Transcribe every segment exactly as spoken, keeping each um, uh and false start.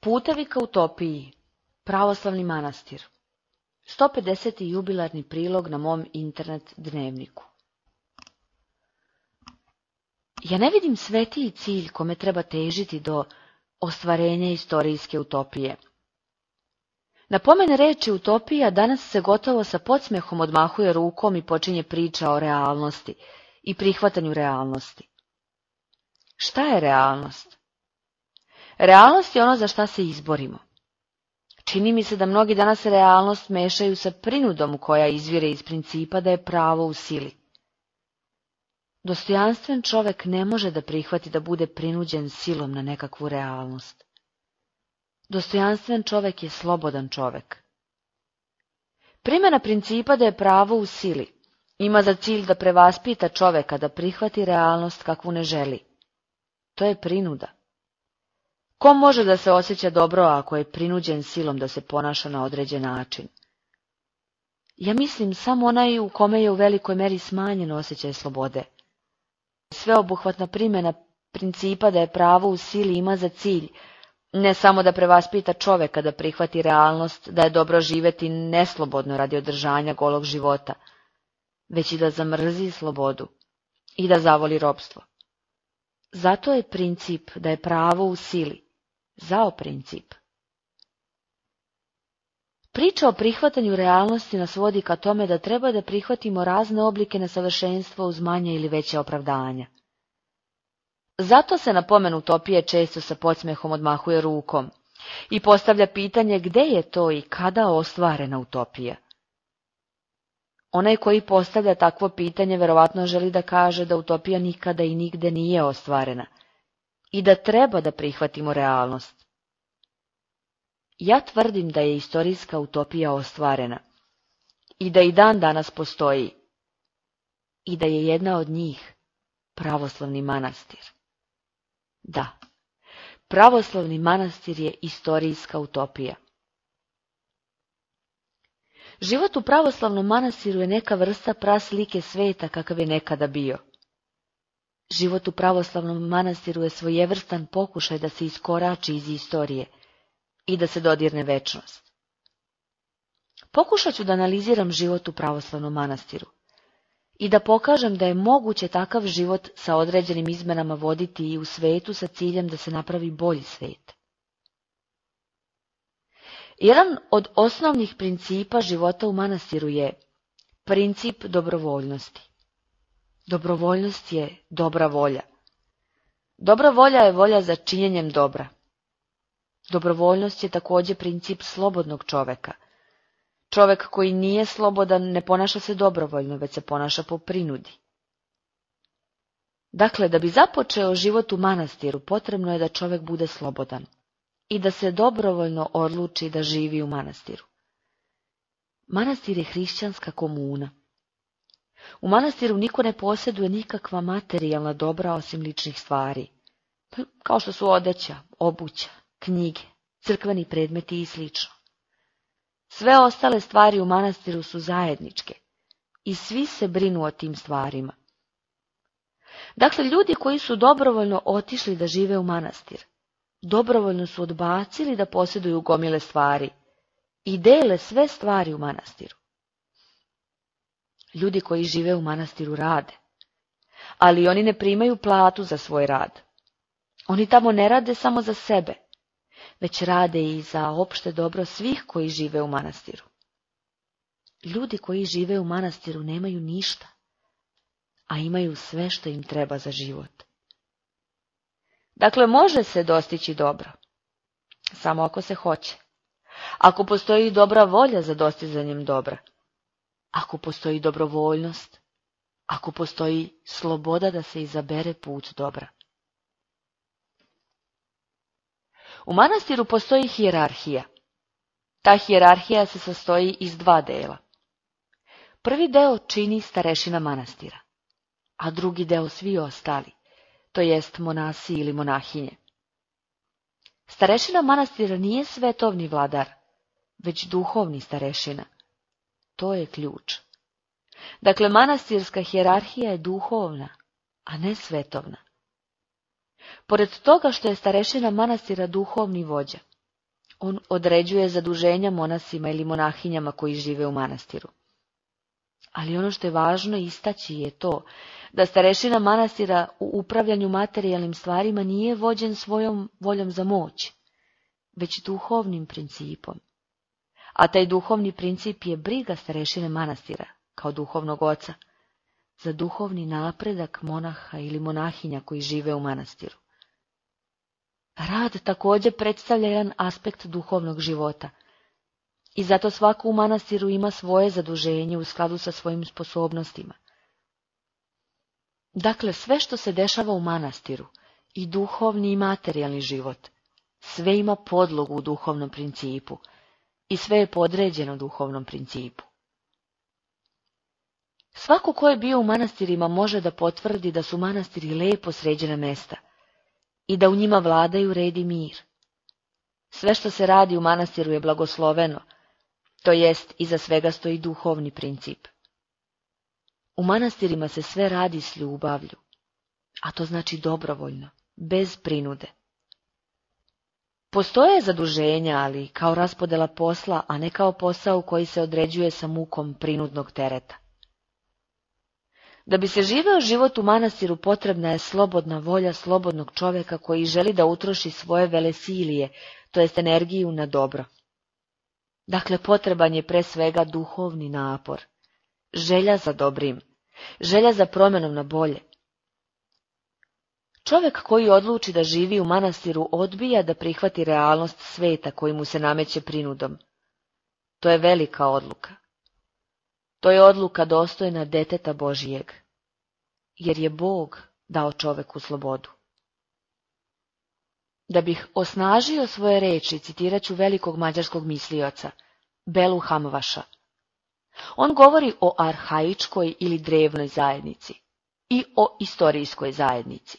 Putevi ka utopiji. Pravoslavni manastir. sto pedeseti jubilarni prilog na mom internet dnevniku. Ja ne vidim svetiji cilj kome treba težiti do ostvarenja istorijske utopije. Na pomen reči utopija danas se gotovo sa podsmehom odmahuje rukom i počinje priča o realnosti i prihvatanju realnosti. Šta je realnost? Realnost je ono za šta se izborimo. Čini mi se da mnogi danas realnost mešaju sa prinudom koja izvire iz principa da je pravo u sili. Dostojanstven čovek ne može da prihvati da bude prinuđen silom na nekakvu realnost. Dostojanstven čovek je slobodan čovek. Primjena principa da je pravo u sili ima za cilj da prevaspita čoveka da prihvati realnost kakvu ne želi. To je prinuda. Ko može da se osjeća dobro ako je prinuđen silom da se ponaša na određen način? Ja mislim samo onaj u kome je u velikoj meri smanjen osjećaj slobode. Sveobuhvatna primjena principa da je pravo u sili ima za cilj ne samo da prevaspita čoveka da prihvati realnost da je dobro živeti neslobodno radi održanja golog života, već i da zamrzi slobodu i da zavoli ropstvo. Zato je princip da je pravo u sili zao princip. Priča o prihvatanju realnosti nas vodi ka tome da treba da prihvatimo razne oblike nesavršenstva uz manje ili veće opravdanja. Zato se na pomen utopije često sa podsmehom odmahuje rukom i postavlja pitanje gde je to i kada ostvarena utopija. Onaj koji postavlja takvo pitanje verovatno želi da kaže da utopija nikada i nigde nije ostvarena i da treba da prihvatimo realnost. Ja tvrdim da je istorijska utopija ostvarena i da i dan danas postoji i da je jedna od njih pravoslavni manastir. Da, pravoslavni manastir je istorijska utopija. Život u pravoslavnom manastiru je neka vrsta praslike sveta kakav je nekada bio. Život u pravoslavnom manastiru je svojevrstan pokušaj da se iskorači iz istorije i da se dodirne večnost. Pokušat ću da analiziram život u pravoslavnom manastiru i da pokažem da je moguće takav život sa određenim izmenama voditi i u svetu sa ciljem da se napravi bolji svet. Jedan od osnovnih principa života u manastiru je princip dobrovoljnosti. Dobrovoljnost je dobra volja. Dobra volja je volja za činjenjem dobra. Dobrovoljnost je također princip slobodnog čoveka. Čovek koji nije slobodan ne ponaša se dobrovoljno, već se ponaša po prinudi. Dakle, da bi započeo život u manastiru, potrebno je da čovek bude slobodan i da se dobrovoljno odluči da živi u manastiru. Manastir je hrišćanska komuna. U manastiru niko ne posjeduje nikakva materijalna dobra osim ličnih stvari, kao što su odeća, obuća, knjige, crkveni predmeti i slično. Sve ostale stvari u manastiru su zajedničke i svi se brinu o tim stvarima. Dakle, ljudi koji su dobrovoljno otišli da žive u manastir, dobrovoljno su odbacili da posjeduju gomile stvari i dele sve stvari u manastiru. Ljudi koji žive u manastiru rade, ali oni ne primaju platu za svoj rad. Oni tamo ne rade samo za sebe, već rade i za opšte dobro svih koji žive u manastiru. Ljudi koji žive u manastiru nemaju ništa, a imaju sve što im treba za život. Dakle, može se dostići dobro, samo ako se hoće. Ako postoji dobra volja za dostizanjem dobra, ako postoji dobrovoljnost, ako postoji sloboda da se izabere put dobra. U manastiru postoji hijerarhija. Ta hijerarhija se sastoji iz dva dela. Prvi deo čini starešina manastira, a drugi deo svi ostali, to jest monasi ili monahinje. Starešina manastira nije svetovni vladar, već duhovni starešina. To je ključ. Dakle, manastirska hijerarhija je duhovna, a ne svetovna. Pored toga što je starešina manastira duhovni vođa, on određuje zaduženja monasima ili monahinjama koji žive u manastiru. Ali ono što je važno istaći je to da starešina manastira u upravljanju materijalnim stvarima nije vođen svojom voljom za moć, već duhovnim principom. A taj duhovni princip je briga starešine manastira, kao duhovnog oca, za duhovni napredak monaha ili monahinja koji žive u manastiru. Rad također predstavlja jedan aspekt duhovnog života i zato svako u manastiru ima svoje zaduženje u skladu sa svojim sposobnostima. Dakle, sve što se dešava u manastiru, i duhovni i materijalni život, sve ima podlogu u duhovnom principu i sve je podređeno duhovnom principu. Svako ko je bio u manastirima može da potvrdi da su manastiri lepo sređena mesta i da u njima vladaju red i mir. Sve što se radi u manastiru je blagosloveno, to jest iza svega stoji duhovni princip. U manastirima se sve radi s ljubavlju, a to znači dobrovoljno, bez prinude. Postoje zaduženja, ali kao raspodela posla, a ne kao posao koji se određuje sa mukom prinudnog tereta. Da bi se živeo život u manastiru potrebna je slobodna volja slobodnog čovjeka koji želi da utroši svoje velesilije, to jest energiju na dobro. Dakle, potreban je pre svega duhovni napor, želja za dobrim, želja za promjenom na bolje. Čovjek koji odluči da živi u manastiru odbija da prihvati realnost sveta koji mu se nameće prinudom. To je velika odluka. To je odluka dostojna deteta Božijeg, jer je Bog dao čoveku slobodu. Da bih osnažio svoje reči, citirat ću velikog mađarskog mislioca, Belu Hamvaša. On govori o arhaičkoj ili drevnoj zajednici i o istorijskoj zajednici.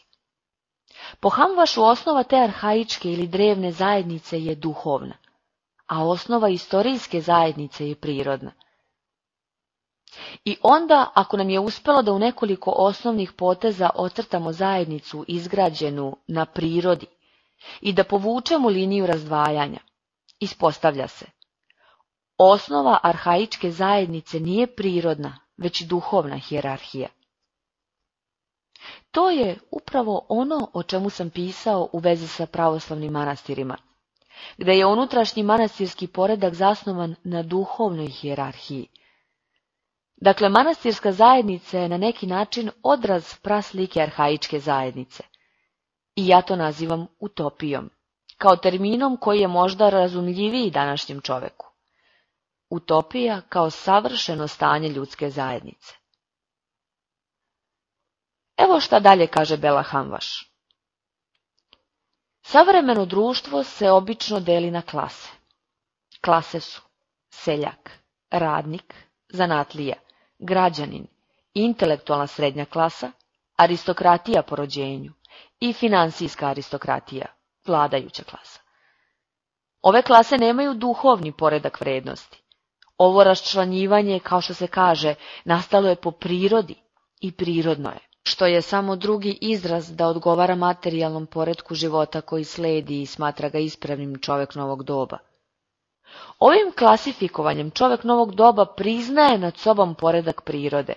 Po Hamvašu osnova te arhaičke ili drevne zajednice je duhovna, a osnova istorijske zajednice je prirodna. I onda, ako nam je uspelo da u nekoliko osnovnih poteza ocrtamo zajednicu izgrađenu na prirodi i da povučemo liniju razdvajanja, ispostavlja se. Osnova arhaičke zajednice nije prirodna, već duhovna hijerarhija. To je upravo ono o čemu sam pisao u vezi sa pravoslavnim manastirima, gde je unutrašnji manastirski poredak zasnovan na duhovnoj hijerarhiji. Dakle, manastirska zajednica je na neki način odraz praslike arhaičke zajednice. I ja to nazivam utopijom, kao terminom koji je možda razumljiviji današnjem čoveku. Utopija kao savršeno stanje ljudske zajednice. Evo šta dalje kaže Bela Hamvaš. Savremeno društvo se obično deli na klase. Klase su seljak, radnik, zanatlija, građanin, intelektualna srednja klasa, aristokratija po rođenju i finansijska aristokratija, vladajuća klasa. Ove klase nemaju duhovni poredak vrednosti. Ovo raščlanjivanje, kao što se kaže, nastalo je po prirodi i prirodno je, što je samo drugi izraz da odgovara materijalnom poretku života koji sledi i smatra ga ispravnim čovjek novog doba. Ovim klasifikovanjem čovjek novog doba priznaje nad sobom poredak prirode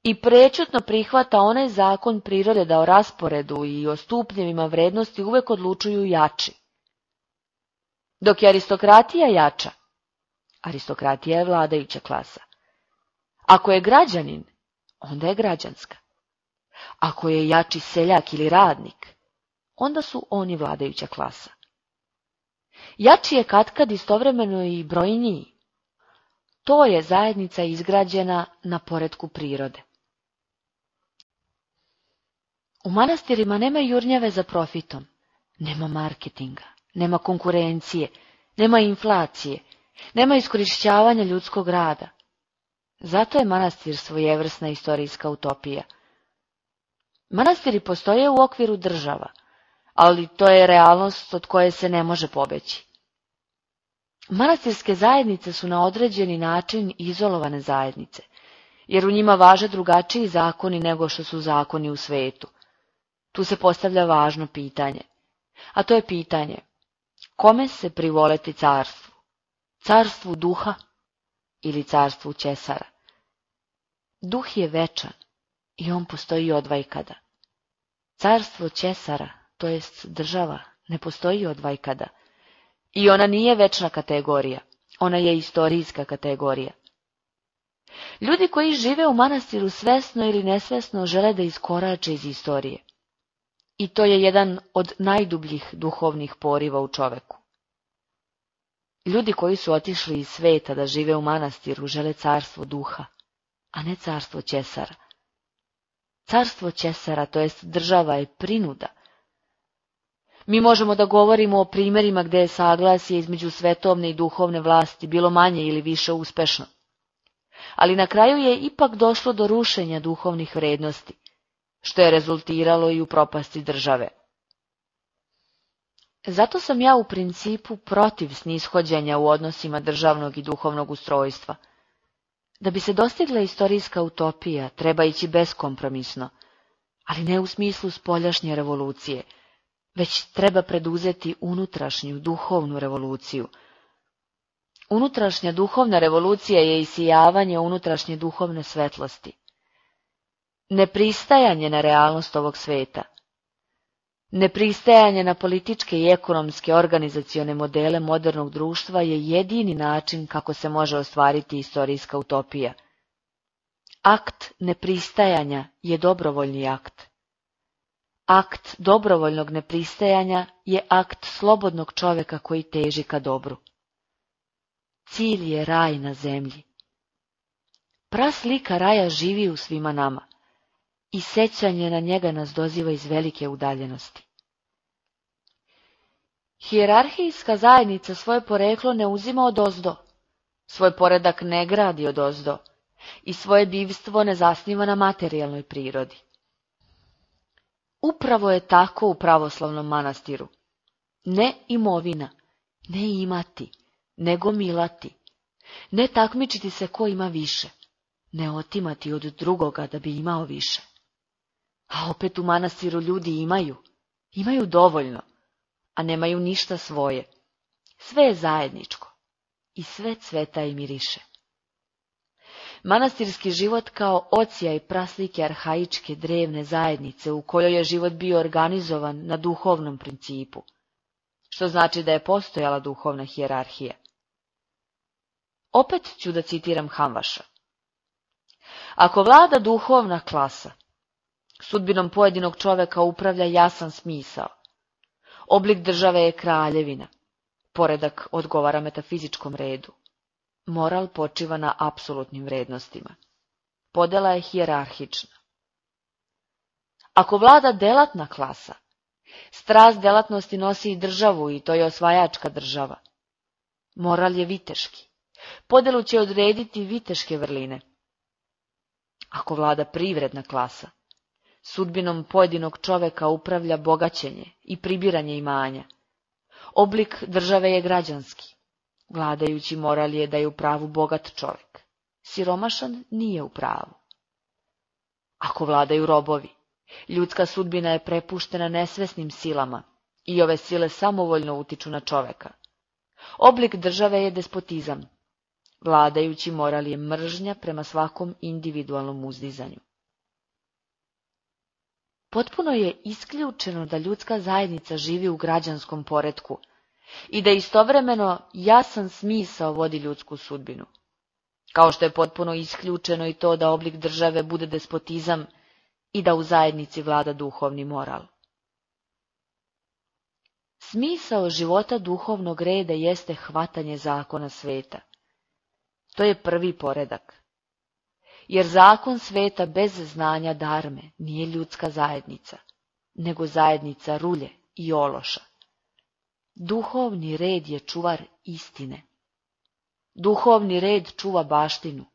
i prečutno prihvata onaj zakon prirode da o rasporedu i o stupnjevima vrednosti uvek odlučuju jači. Dok je aristokratija jača, aristokratija je vladajuća klasa. Ako je građanin, onda je građanska. Ako je jači seljak ili radnik, onda su oni vladajuća klasa. Jači je katkad istovremeno i brojniji. To je zajednica izgrađena na poretku prirode. U manastirima nema jurnjave za profitom, nema marketinga, nema konkurencije, nema inflacije, nema iskorišćavanja ljudskog rada. Zato je manastir svojevrsna istorijska utopija. Manastiri postoje u okviru država, ali to je realnost od koje se ne može pobeći. Manastirske zajednice su na određeni način izolovane zajednice, jer u njima važe drugačiji zakoni nego što su zakoni u svetu. Tu se postavlja važno pitanje, a to je pitanje, Kome se privoleti carstvu? Carstvu duha ili carstvu Ćesara? Duh je večan i on postoji odvajkada. Carstvo Ćesara, to jest država, ne postoji odvajkada. I ona nije večna kategorija, ona je istorijska kategorija. Ljudi koji žive u manastiru svesno ili nesvesno žele da iskorače iz istorije. I to je jedan od najdubljih duhovnih poriva u čoveku. Ljudi koji su otišli iz sveta da žive u manastiru žele carstvo duha, a ne carstvo Ćesara. Carstvo Ćesara, to jest država, je prinuda. Mi možemo da govorimo o primjerima gdje je saglasje između svetovne i duhovne vlasti bilo manje ili više uspešno. Ali na kraju je ipak došlo do rušenja duhovnih vrednosti, što je rezultiralo i u propasti države. Zato sam ja u principu protiv snishođenja u odnosima državnog i duhovnog ustrojstva. Da bi se dostigla istorijska utopija, treba ići beskompromisno, ali ne u smislu spoljašnje revolucije, već treba preduzeti unutrašnju duhovnu revoluciju. Unutrašnja duhovna revolucija je isijavanje unutrašnje duhovne svetlosti. Nepristajanje na realnost ovog sveta. Nepristajanje na političke i ekonomske organizacione modele modernog društva je jedini način kako se može ostvariti istorijska utopija. Akt nepristajanja je dobrovoljni akt. Akt dobrovoljnog nepristajanja je akt slobodnog čoveka koji teži ka dobru. Cilj je raj na zemlji. Praslika raja živi u svima nama i sećanje na njega nas doziva iz velike udaljenosti. Hijerarhijska zajednica svoje poreklo ne uzima odozdo, svoj poredak ne gradi odozdo i svoje bivstvo ne zasniva na materijalnoj prirodi. Upravo je tako u pravoslavnom manastiru. Ne imovina, ne imati, nego milati, ne takmičiti se ko ima više, ne otimati od drugoga da bi imao više. A opet u manastiru ljudi imaju, imaju dovoljno, a nemaju ništa svoje. Sve je zajedničko i sve cveta i miriše. Manastirski život kao ocija i praslike arhaičke drevne zajednice u kojoj je život bio organizovan na duhovnom principu, što znači da je postojala duhovna hijerarhija. Opet ću da citiram Hamvaša. Ako vlada duhovna klasa, sudbinom pojedinog čoveka upravlja jasan smisao. Oblik države je kraljevina, poredak odgovara metafizičkom redu. Moral počiva na apsolutnim vrednostima. Podela je hijerarhična. Ako vlada delatna klasa, strast delatnosti nosi i državu i to je osvajačka država. Moral je viteški. Podelu će odrediti viteške vrline. Ako vlada privredna klasa, sudbinom pojedinog čoveka upravlja bogaćenje i pribiranje imanja. Oblik države je građanski. Vladajući moral je da je u pravu bogat čovek. Siromašan nije u pravu. Ako vladaju robovi, ljudska sudbina je prepuštena nesvesnim silama i ove sile samovoljno utiču na čoveka. Oblik države je despotizam. Vladajući moral je mržnja prema svakom individualnom uzdizanju. Potpuno je isključeno da ljudska zajednica živi u građanskom poretku i da istovremeno jasan smisao vodi ljudsku sudbinu. Kao što je potpuno isključeno i to da oblik države bude despotizam i da u zajednici vlada duhovni moral. Smisao života duhovnog reda jeste hvatanje zakona sveta. To je prvi poredak. Jer zakon sveta bez znanja darme nije ljudska zajednica, nego zajednica rulje i ološa. Duhovni red je čuvar istine. Duhovni red čuva baštinu.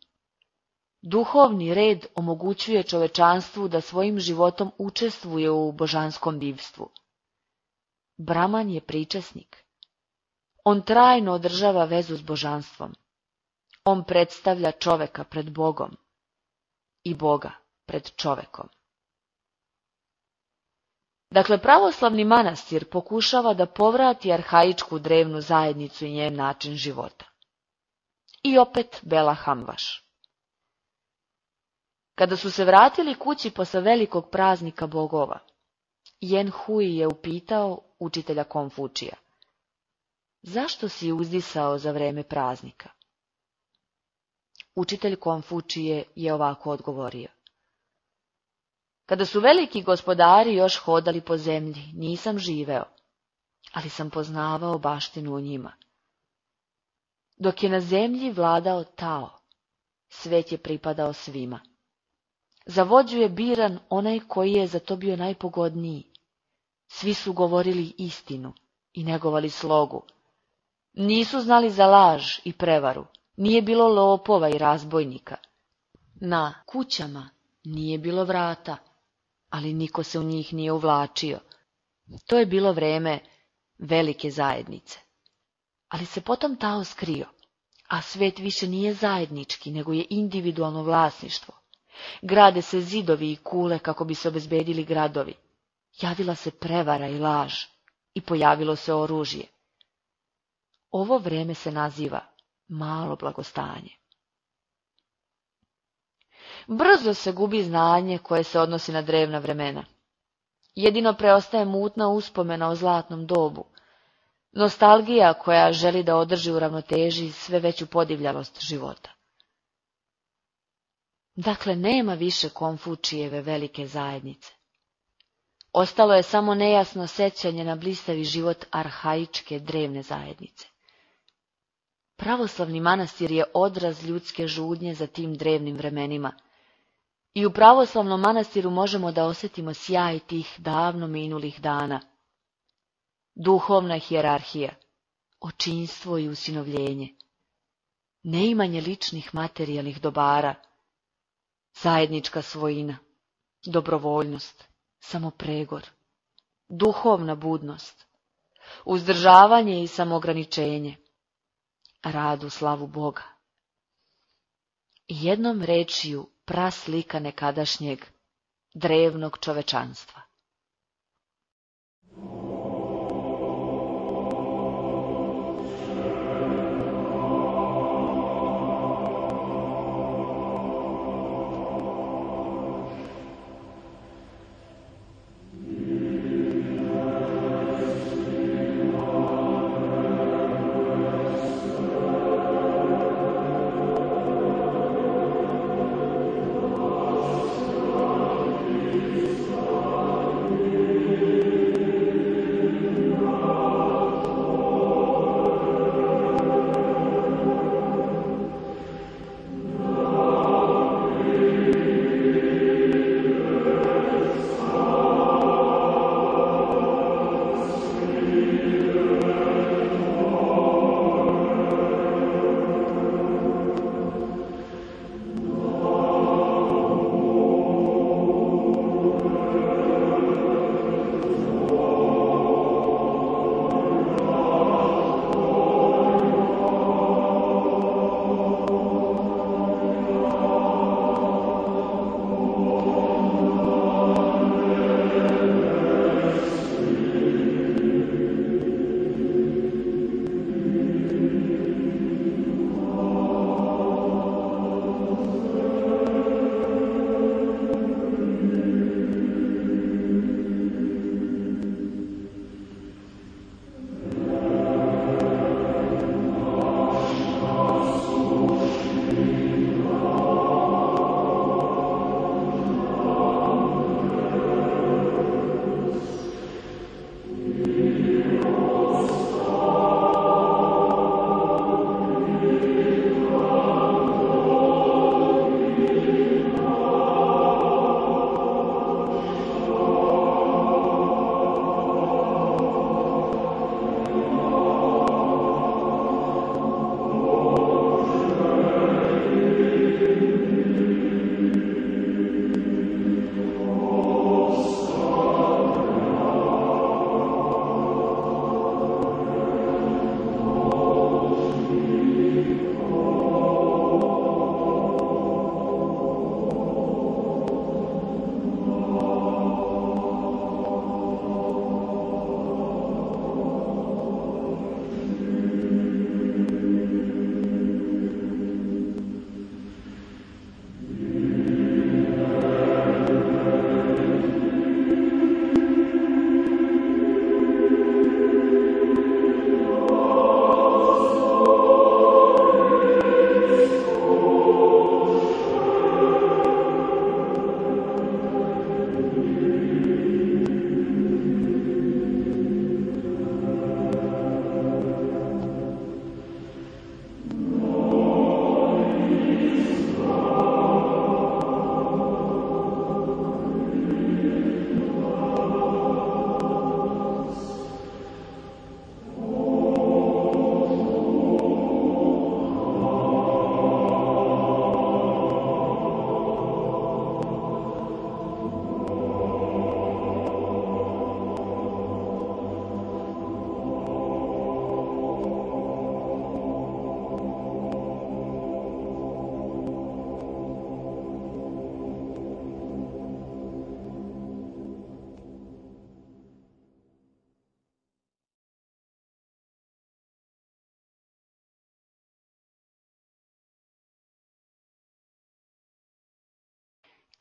Duhovni red omogućuje čovečanstvu da svojim životom učestvuje u božanskom bivstvu. Braman je pričesnik. On trajno održava vezu s božanstvom. On predstavlja čoveka pred Bogom i Boga pred čovekom. Dakle, pravoslavni manastir pokušava da povrati arhaičku drevnu zajednicu i njen način života. I opet Bela Hamvaš. Kada su se vratili kući posle velikog praznika bogova, Jen Hui je upitao učitelja Konfučija: zašto si uzdisao za vreme praznika? Učitelj Konfučije je ovako odgovorio: kada su veliki gospodari još hodali po zemlji, nisam živeo, ali sam poznavao baštinu u njima. Dok je na zemlji vladao Tao, svet je pripadao svima. Za vođu je biran onaj koji je za to bio najpogodniji. Svi su govorili istinu i negovali slogu. Nisu znali za laž i prevaru, nije bilo lopova i razbojnika. Na kućama nije bilo vrata, ali niko se u njih nije uvlačio. To je bilo vreme velike zajednice. Ali se potom Tao skrio, a svet više nije zajednički, nego je individualno vlasništvo. Grade se zidovi i kule kako bi se obezbedili gradovi. Javila se prevara i laž i pojavilo se oružje. Ovo vreme se naziva malo blagostanje. Brzo se gubi znanje koje se odnosi na drevna vremena. Jedino preostaje mutna uspomena o zlatnom dobu, nostalgija koja želi da održi u ravnoteži sve veću podivljalost života. Dakle, nema više Konfučijeve velike zajednice. Ostalo je samo nejasno sećanje na blistavi život arhaičke drevne zajednice. Pravoslavni manastir je odraz ljudske žudnje za tim drevnim vremenima. I u pravoslavnom manastiru možemo da osjetimo sjaj tih davno minulih dana. Duhovna hijerarhija, očinstvo i usinovljenje, neimanje ličnih materijalnih dobara, zajednička svojina, dobrovoljnost, samopregor, duhovna budnost, uzdržavanje i samoograničenje, rad u slavu Boga. Jednom rečju praslika nekadašnjeg drevnog čovečanstva. Oh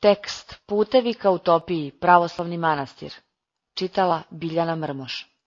Tekst Putevi ka utopiji, pravoslavni manastir. Čitala Biljana Mrmoš.